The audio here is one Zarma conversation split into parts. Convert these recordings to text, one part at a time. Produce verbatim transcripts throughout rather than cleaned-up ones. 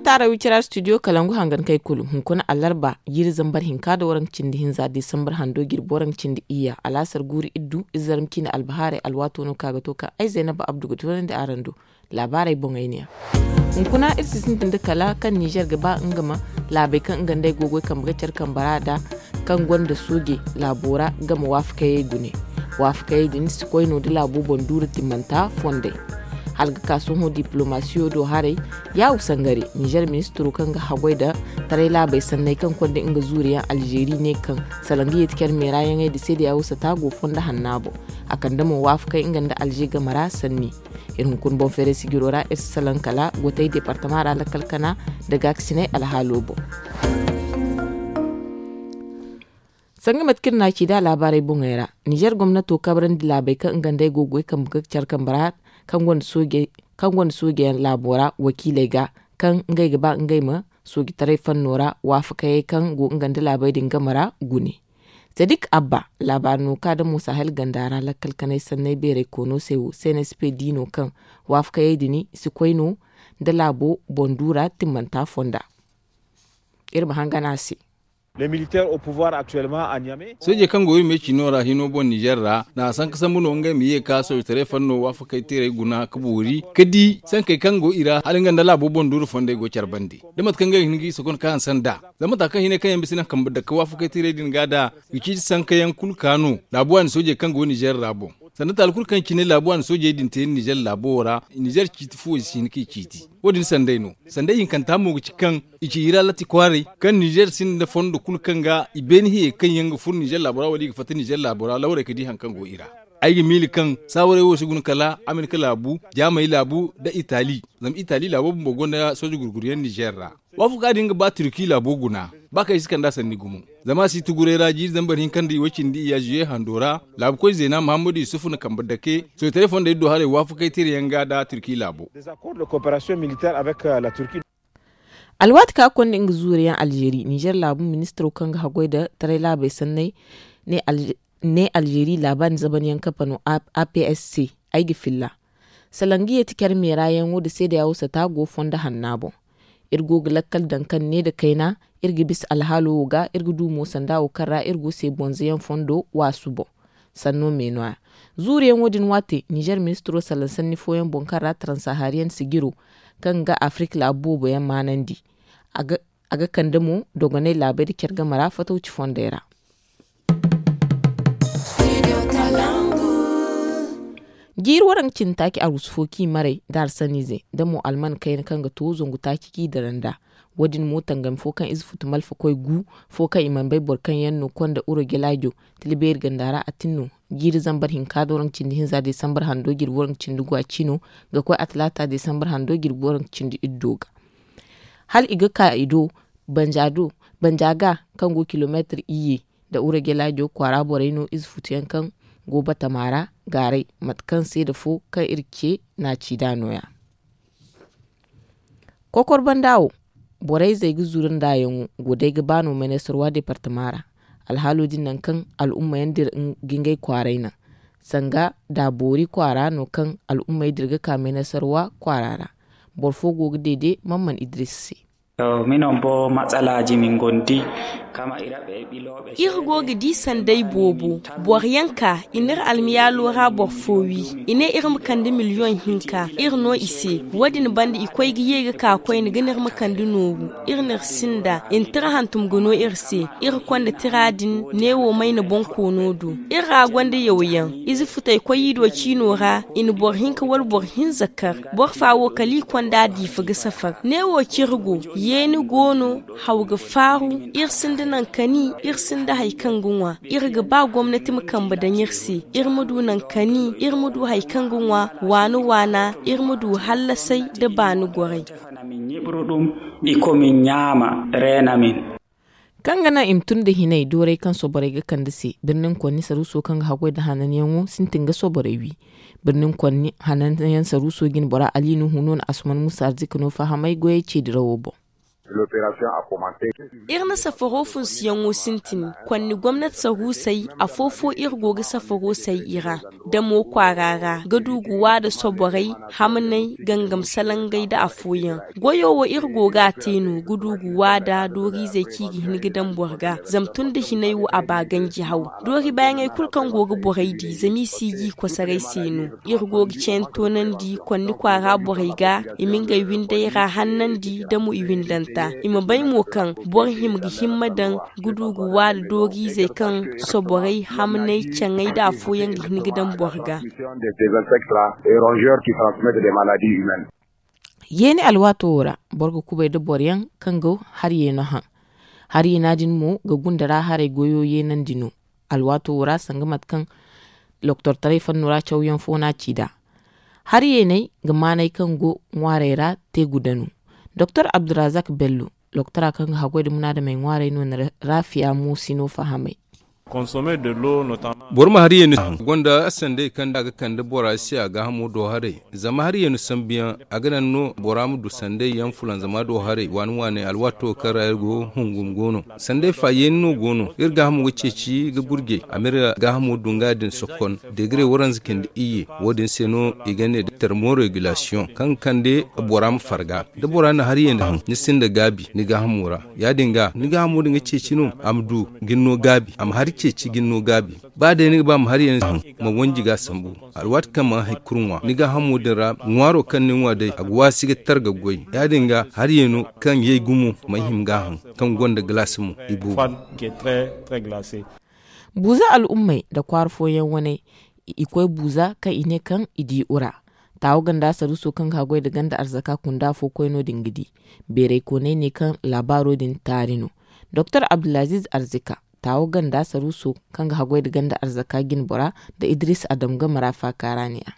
Taara wicira studio kalangu hangan kay kulu hunkuna alarba jiiri zambar hinka da waranka cindi hinza disambar hando jirbi waranka cindi iyya alaasar guuru iddu izarma ciine albahaarey alwaato no kaŋ a ga to kaŋ ay zaynaba abdu ga toonandi araŋ do. Laabaarey boŋey ne yaŋ. Hunkuna iri si sintin da kala kaŋ nizer ga ba nga ma laabey kaŋ nga nd'ey go ga goy kambe ga care kambe ra nd'a kaŋ gonda sooje laabo ra nga ma waafakayey gune. Waafakayey din si koy no da laabo boŋ duura timmanta fondey. Hala ga ka sohõ diplomasiyo do haray, yaawu sangare nizer ministiro kaŋ ga haggoy nda taray laabey sanney kaŋ konda nga zuuriyaŋ alzeeri ne kaŋ salaŋ ga yeeti care meeraayaŋey nda seedeya wo sata go fondo hanna boŋ. A kande mo waafakay nga nda alze game ra sanni. Iri hunkuna boŋ feeray sijiro ra iri si salaŋ kala gotey departama ra lakkal kana nda gaakasiney alhaalo boŋ. Sanga mate kaŋ iri n'a ci nd'a laabaarey boŋey ra, nizer gomnato kabrandi laabey kaŋ nga nd'ey go ga goy kambe ga care kambe ra kaŋ gonda soojeyaŋ laabo ra wakiiley ga kaŋ ngey ga ba ngey ma soojitaray fanno ra waafakayey kaŋ go nga nda laabey din game ra gune. Sadik abba laabaari no ka da mo sahel ganda ra lakkal kanay sanney beeray koono se wo cnsp di no kaŋ waafakayey din si koy no nda laabo boŋ duura timmanta fonda. Iri ma hangan a se. Soojey kaŋ go iri me ciino ra hino boŋ nizer ra na a sanka sambu no ngey ma ye ka soojitaray fanno waafakay teerey guna ka boori ka di sankey kaŋ go i ra hala nga nda laabo boŋ duuru fondey go care bande da mate kaŋ ngey ga hin ga i sookon ka hanse nd'a. Zama mata kaŋ hinay kaŋ yaŋ bisa naŋ kambe dake waafakay teerey din ga da ga ciiti sankayaŋ kulu ka no laabu waani soojey kaŋ go nizer ra boŋ. Sanda taali kulu kaŋ cine laabu waani soojey din te nizer laabo wo ra, nizer ciiti fuwo si hin k'i ciiti. Wo- din sanday no. Sanday hinkanta mo ga ci kaŋ i ci hira latti kwaaray kaŋ nizer sinda fondo kulu kaŋ ga i beene hiyey kaŋ yaŋ ga furo nizer laabo ra wala i ga fatta nizer laabo ra lawrey ga di hari kaŋ go i ra. Ay ga miila kaŋ saawaray wo si guna kala amerika laabu, jaamay laabu nda itali. Zama itali laabo bumbo gonda sooje gurguryaŋ nizer ra. Waafaga din ga ba turki laabo guna ba kaŋ i si kand'a sanni gumo. Zama a si tuguray ra jiiri zambar hinka nda i way cindi iyya zuye hando ra laabu koy zeena muhammadu yusuf na kambe dake soojitaray fondey do haray waafakay teerayaŋ ga nda turki laabo. Alwaati kaŋ a konda nga zuuriyaŋ alzeeri nizer laabu ministiro kaŋ ga haggoy nda taray laabey sanney ne alzeeri laabaani zabanyaŋ kafa no. Aps se ay ga filla. Salaŋ ga yeeti care meeraayaŋo nda seedeya wo sata go fondo hanna boŋ. Iri go ga lakkal daŋ kaŋ ne nda kayna iri ga bisa alhaalo wo ga iri ga du mo sanda wo kaŋ ra iri go se bonzoyaŋ fondo waasu boŋ. Sanno me no- ya zuuriyaŋo din waate nizer ministiro salaŋ sanni fooyaŋ boŋ kaŋ ra taransahaariyaŋ sijiro kaŋ ga afirik laabu boobo yaŋ maanandi. A ga kande mo dogonay laabey nda care game ra fatawci fondey ra. Jiiri waranka cindi taaci arwasu fo kaŋ i maray nda arsaniize nda mo alman kayna kaŋ ga to zangu taaci kaŋ i dira nd'a. Wo- din mo tangami fo kaŋ ize futu malfa koy gu fo kaŋ i mana bay boro kaŋ yaŋ no konda uro gelaajo tila beeri ganda ra a tin no. Jiiri zambar hinka da waranka cindi hinza desambar hando jirbi waranka cindi gwa ciino ga koy a talaata desambar hando jirbi waranka cindi iddo ga. Hala i ga ka i do banja ga kaŋ go kilomeetir iyye nda uro gelaajo kwaara borey no ize futuyaŋ kaŋ go batama ra gaaray mate kaŋ seeda fo kaŋ iri ce naaci nd'a no- ya. Kokor banda wo borey zey ga zuru nd'a yaŋo go day ga ba no menesarwa departama ra. Alhaalo din nangu kaŋ al'umma yaŋ dira ga ngey kwaaray naŋ sanga da boori kwaara no kaŋ al'ummey dira ga ka menesarwa kwaara ra. Boro fo go ga deede mamman idris se. Minon bo matsalaaji min gondi kama ira ɓe ɓilooɓe. Iri go ga di sanday boobo boro yaŋ ka i n'iri almiyaalo ra boro fo wi. I ne iri ma kande miliyoŋ hinka iri no i se. Wo- din banda i koy ga ye ga ka koyne ga n'iri ma kande nooru. Iri n'iri sinda i na tira hantum ga no iri se. Iri konda tira din neewo mayna bonkoono do. Iri ra gonda yawyaŋ ize futey koy i do ciino ra. I na boro hinka wala boro hinza kar. Boro fa wo kala i konda diifa ga safar neewo ciri go. Yeeni go no. Haw ga faaru. Iri sinda naŋ kani. Iri sinda hari kaŋ ga ŋwa. Iri ga ba gomnati ma kambe daŋ iri se. Iri ma du naŋ kani. Iri ma du hari kaŋ ga ŋwa. Waana waana iri ma du hallasay nda baani goray. Kaŋ ga naŋ i ma tun nda hinay dooray kaŋ soborey ga kande se birnin konni saruuso kaŋ ga haggoy nda hananyaŋo sintin ga soborey wi. Birnin konni hananyaŋ saruuso jine bora ali nuhu no na asuman musa arzika no fahamay goyey ceedirawo boŋ. Iri na safaro funsuyaŋo sintin. Konni gomnati saruusey afo-fo iri go ga safaro say i ra. Damo kwaara ra ga du ga waada soborey, hamney, gangam salangey nda afooyaŋ. Goyo wo iri go ga a te no ga du ga waada dooriizey kaŋ i ga hin ga daŋ boro ga, zama tun da hinay wo a ba ganji haw. Doori baayaŋey kulu kaŋ go ga borey di zama i si ga i kosoray se no. Iri go ga ceeni toonandi konni kwaara borey ga, i ma ngey windey ra hannandi damo i windanta. I ma bay mo kaŋ boro hima ga himma daŋ ga du ga waada dooriizey kaŋ soborey, hamney, caŋey nda afooyaŋ ga hin ga daŋ boro ga. Yeeni alwaato wo ra, boro ga kubay nda boro yaŋ kaŋ go hari yeeno haŋ. Hari yeena din mo ga gunda ra haray goyo yeenandi no. Alwaato wo ra sanga mate kaŋ loktortaray fanno ra cawyaŋ fo no a ci nd'a. Hari yeeney ga maanay kaŋ go ŋwaarey ra te guda no. Doktor Abdulrazak Bello, loktora kaŋ ga haggoy nda munaadamey ŋwaarey no na rafiya mo si no fahamay. Boro ma hari yeeni a gonda sandey kaŋ da a ga kande bora se a gaahamo do haray. Zama hari yeeni sambuyaŋ a ga naŋ no bora ma du sandey yaŋ fulanzama do haray waani waani alwaato kaŋ ra iri go hungum go no. Sandey fa yeeni no go no iri gaahamo ga ceeci ga gurjay a ma iri gaahamo dunga din sokon. Degre waranza cindi iyye. Wo- din se no i ga ne da termoregulasiyoŋ kaŋ ga kande bora ma farga. Da bora na hari yeeni haŋ ni sinda gaabi ni gaahamo ra. Ya- din ga ni gaahamo din ga ceeci no a ma du ga ni no gaabi a ma hari ceeci ga ni no gaabi. Ba day ni ga ba ma hari yeeni haŋ ma wanji ga a sambu. Alwaati kaŋ mana hari kulu ŋwa ni gaahamo din ra ŋwaaro kaŋ ni ŋwa day a ga waasi ga tar ga goy. Ya- din ga hari yeeno kaŋ yay gumo mana hima ga a haŋ kaŋ gonda galaasi mo i boobo. Buuza al'ummey nda kwaara fooyaŋ wane i koy buuza kaŋ i ne kaŋ i di ura. Taawo ganda saruuso kaŋ ga haggoy nda ganda arzaka kunda fo koy no- din ga di. Beeray kooney ne kaŋ laabaaro din taari no. Doktor abdulaziiz arzika, taawo ganda saruuso kaŋ ga haggoy nda ganda arzaka jinbora nda idris adam game ra faaka ra ne a.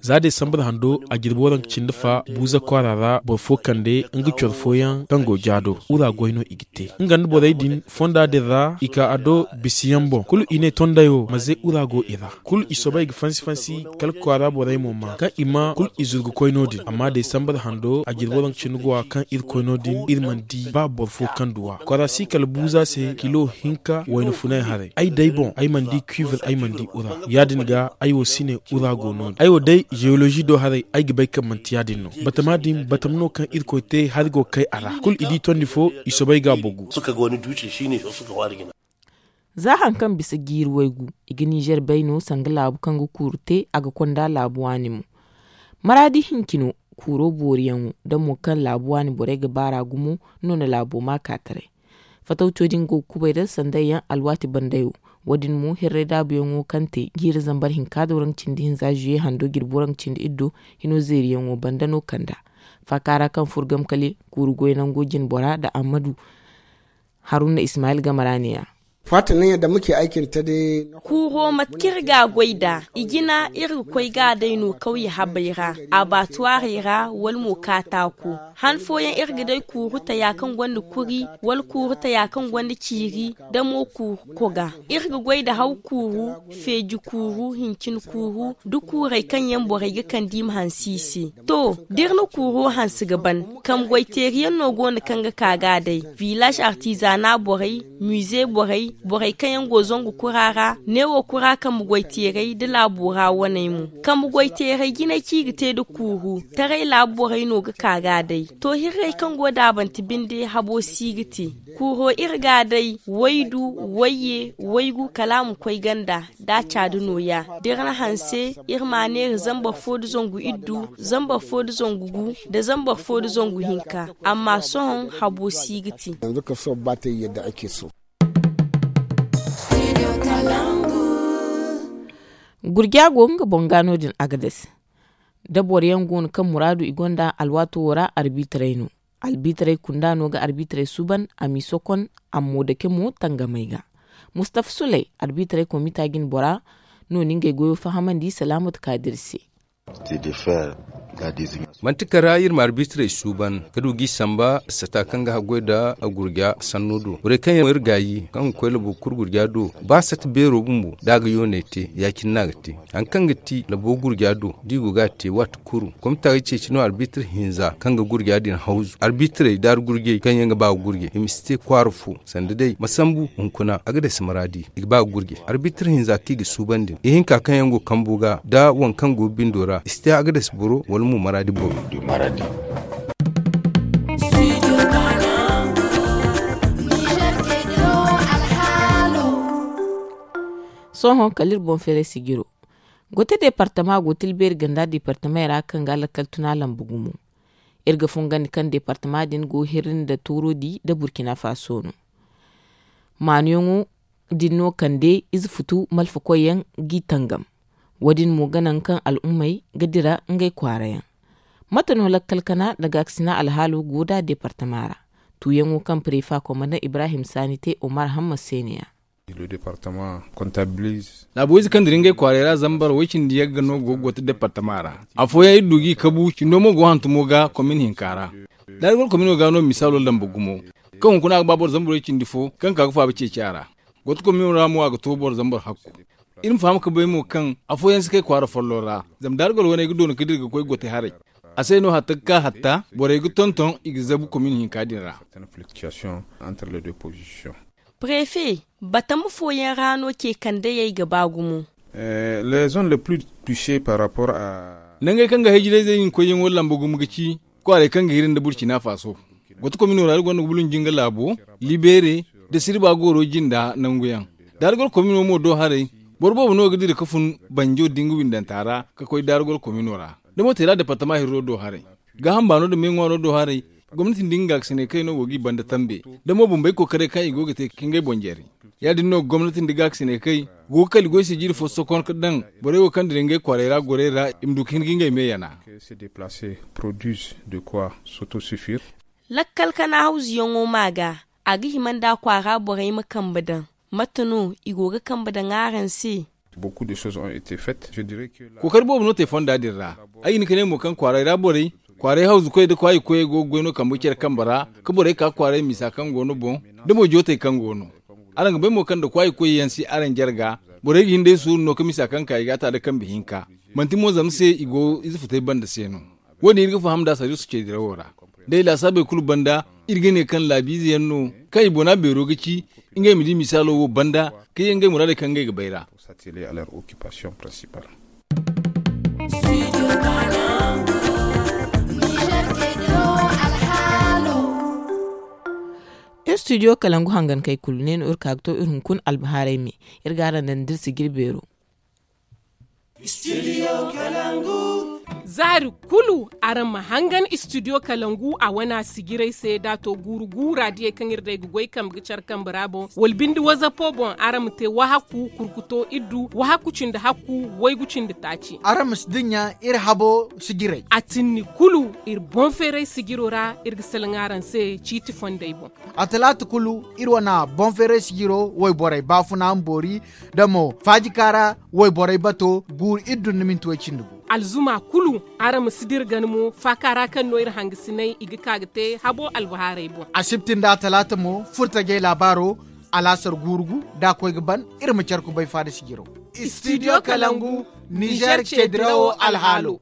Za desambar hando a jirbi waranka cindi fa buuza kwaara ra boro fo kande nga coro fooyaŋ kaŋ go jaado ura goy no i ga te nga nda borey din fonda din ra i ka a do bisiyaŋ boŋ kulu i ne tonday wo ma ze ura go i ra. Kulu i soobay ga fansi fansi kala kwaara borey mo maa kaŋ i ma kulu i zuru ga koy no- din amma desambar hando a jirbi waranka cindi go a kaŋ iri koy no- din iri mana di ba boro fo kaŋ duw'a kwaara si kala buuza se kilo hinka wayna funay haray ay day boŋ ay mana di kuiver ay mana di ura. Ya- din ga ay wo si ne ura go no- din ay wo day jeolozi do haray ay ga bay kaŋ manti ya- din no batama din batama no kaŋ irkoy te hari go ga kay a ra kulu i di tondi fo i soobay ga a bogu. Za hari kaŋ bisa jiiri waygu i ga nizer bay no sanga laabu kaŋ ga kuuru te a ga konda laabu waani mo. Maraadi hinci no kuuro booriyaŋo da mo kaŋ laabu waani borey ga baar'a gumo no na laabo maakaataray. Fatawco din go ga kubay nda sandayyaŋ alwaati bandayo. Wo- din mo hirray daabuyaŋo kaŋ te jiiri zambar hinka da waranka cindi hinza zuye hando jirbi waranka cindi iddo hino zeeriyaŋo banda no kand'a. Faaka ra kaŋ furo game kale kuuru goy nango jinbora nda ammadu haruna ismayil game ra ne-ya. Kuuro mate kaŋ iri ga a goy nd'a i jina iri ga koy ga a day no kawye habey ra abaatuwaarey ra wala mo kaataako. Han fooyaŋ iri ga day kuuru taya kaŋ gonda kuri wala kuuru taya kaŋ gonda ciiri da mo kuuru koga. Iri ga goy nda haw kuuru, feeji kuuru, hincin kuuru, da kuurey kaŋ yaŋ borey ga kande i ma hanse i se. To, da iri na kuuro hanse ga ban, kambe goy teeri yaŋ no go no kaŋ ga ka ga a day. Villaaz artizana borey, mize borey, borey kaŋ yaŋ go zangu kura ra, neewo kura kambe goy teerey nda laabo ra waney mo. Kambe goy teerey jinay kaŋ i ga te nda kuuru, taray laabu borey no ga ka ga a day. To hirrey kaŋ go daabante binde habo si ga te. Kuuro iri ga a day waydu, wayye, waygu kala a ma koy ganda. Da a caadi nooya, da iri na hanse iri ma a neera zambar fo nda zangu iddu, zambar fo nda zangu gu, nda zambar fo nda zangu hinka. Amma sohõ habo si ga te. Gurja go nga boŋ ga no- din agades. Da boro yaŋ go no kaŋ muraadu i gonda alwaato wo ra arbitaray no. Albitaray kunda no ga arbitaray suuban a m'i sokon a mo dake mo tangamey ga. Mustafa suley arbitaray komita jine bora no na ngey goyo fahamandi salaamatu kaadir se. Manti kara iri ma arbitrey suuban ka du g'i samba sata kaŋ ga haggoy nda gurja sanno do borey kaŋ yaŋ iri gaayi kaŋ ga koy labo kulu gurja do. Ba sata beero bumbo da a ga yooney te ya- cine no a ga te. Hari kaŋ ga ti labo gurja do da i go ga a te waati kulu komita ga ceeci no arbitr hinza kaŋ ga gurja din hawzu arbitrey da argurjey kaŋ yaŋ ga ba ga gurjey i ma si te kwaara fo. Sanda day ma sambu hunkuna a ga dasi maraadi i ga ba ga gurjey arbitr hinza kaŋ i ga suuban din ihinka kaŋ yaŋ go kambo ga da waŋ kaŋ go bindo ra i si te a ga dasi boro wala mo maraadi boro. Sohõ kala iri boŋ feeray sijiro gote deepartama go tilbeeri ganda deepartamey ra kaŋ ga lakkal tuna lamba gumo. Iri ga fungandi kaŋ deepartama din go hirri nda toorodi nda burkina faso no. Maanuyaŋo din no kande ize futu malfakoy yaŋ g'i tangam. Wo- din mo ga naŋ kaŋ al'ummey ga dira ngey kwaara yaŋ. Mate no lakkal kana nda gaakasina alhaalo go nd'a deepartama ra? Tuuyaŋo kaŋ prefa komandaŋ ibrahim saani te omar hamma se ne- ya. Laabu-ize kaŋ dira ngey kwaaray ra zambar way-cindi yagga no go ga gooti departama ra. Afooyaŋ iri du g'i kabu cindo mo go hantumo ga komin hinka ra. Daargol komino ga no misaalo lamba gumo kaŋ hunkuna a ga ba boro zambar way-cindi fo kaŋ ka ga faaba ceeci a ra. Gooti komino ra mo a ga to boro zambar hakku. Iri ma faham ga bay mo kaŋ afooyaŋ si kay kwaara folloŋ ra. Zama daargol wane ay ga doona ga dira ga koy gooti haray. A se no hatta ga ka hatta borey ga tonton i ga zabu komin hinka din ra. Prefe batama fooyaŋ ra no ce kandayey ga ba gumo. Nangey kaŋ ga hayjirayzey hinkoyyaŋo lamba gumo ga ci kwaarey kaŋ ga hiri nda burcina faso. Goto komino ra iri gonda ga bulunji nga laabo, libere, da sirba gooro jinda nanguyaŋ. Daargol komino mo do haray, boro boobo no ga dira ga fun banjo da nga windanta ra ga koy daargol komino ra. Da mo teera departama hirro do haray, gaaham baano nda meeŋwaaro do haray. Gomnati nda nga gaakasinay kay no go g'i banda tambe, da mo bumbey kookaray kaŋ i go ga te ka ngey boŋ jare. Ya- din no gomnati nda gaakasinay kay go ga kala goy sijiri fo sokon ga daŋ borey wo kaŋ dira ngey kwaarey ra gorey ra i ma du ga hin ga ngey me yana. Lakkal kana hawzuyaŋo ma ga a ga hima nda kwaara borey ma kambe daŋ. Mate no i go ga kambe daŋ araŋ se? Kookari boobo no te fonda din ra. Ay ga hin ga ne mo kaŋ kwaaray ra borey, kwaaray hawzukoyey nda kwaayikoyey go ga goy no kambe care kambe ra, ka borey ka kwaaray misa kaŋ go no boŋ, da mo jootey kaŋ go no. Araŋ ga bay mo kaŋ nda kwaayikoyey yaŋ si araŋ jarga, borey ga hin day suuru no ka misa kaŋ ka i ga a ta nda kambe hinka. Manti mo zama se i go ize futay banda se no. Wo- din iri ga faham nd'a sariiso ce dirawo ra. Day laasaabey kulu banda, iri ga ne kaŋ laabiize yaŋ no kaŋ i bona beero ga ci, ngey ma di misaalo wo banda, ka ye ngey muraadey kaŋ ngey ga bay ra. Iri studio kalangu hangankey kulu ne no iri ka ga to iri hunkuna albahaarey me. Iri ga araŋ daŋ da iri sijiri beero. Zaari kulu araŋ ma hangan studio kalangu a wana sijirey se da a to guuru guura diyey kaŋ iri day ga goy kambe ga care kambe ra boŋ wala bindi wazapo boŋ araŋ ma te wahakku kurkuto iddu wahakku cindi hakku waygu cindi taaci. Araŋ ma si dinya iri habo sijirey. A tinni kulu iri boŋ feeray sijiro ra iri ga salaŋ araŋ se ciiti fondey boŋ. A talaata kulu iri wana boŋ feeray sijiro wayborey baafuna ma boori da mo faajika ra wayborey bato guuru iri dun na minti way cindi gu. Alzuma kulu araŋ ma si dira gana mo faaka ra kaŋ no iri hangasinay i ga ka ga te habo albahaarey boŋ. Asibti nda talaata mo furtajey laabaaro alaasar guuru gu da a koy ga ban iri ma care kubay faada sijiro. Studio kalangu nizer ce dirawo alhaalo.